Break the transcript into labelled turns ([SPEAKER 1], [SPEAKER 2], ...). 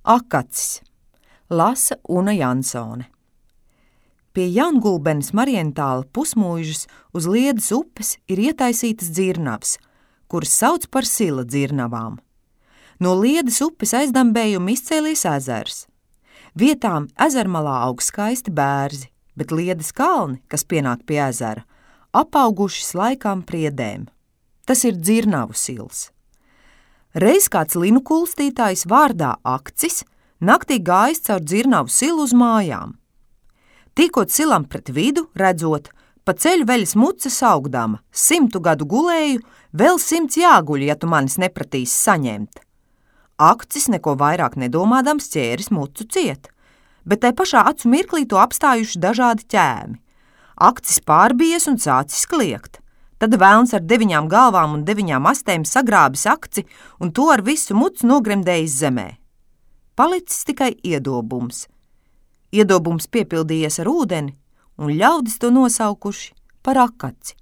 [SPEAKER 1] Akacis. Lasa Una Jansone. Pie Jaungulbenes Marientāla pusmūžas uz Liedes upes ir ietaisītas dzirnavas, kuras sauc par Sila dzirnavām. No Liedes upes aizdambējuma izcēlies ezers. Vietām ezermalā aug skaisti bērzi, bet Liedes kalni, kas pienāk pie ezera, apauguši slaikām priedēm. Tas ir dzirnavu sils. Reiz kāds linu kulstītājs vārdā Akcis naktī gājis caur dzirnavu silu uz mājām. Tīkot silam pret vidu, redzot, pa ceļu veļas muca saugdama, 100 gadu gulēju, vēl 100 jāguļ, ja tu manis nepratīsi saņemt. Akcis neko vairāk nedomādams ķēris mucu ciet, bet tai pašā acu mirklī to apstājuši dažādi ķēmi. Akcis pārbies un sācis kliegt. Tad velns ar 9 galvām un 9 astēm sagrābis Akci un to ar visu mucu nogremdējis zemē. Palicis tikai iedobums. Iedobums piepildījies ar ūdeni, un ļaudis to nosaukuši par Akaci.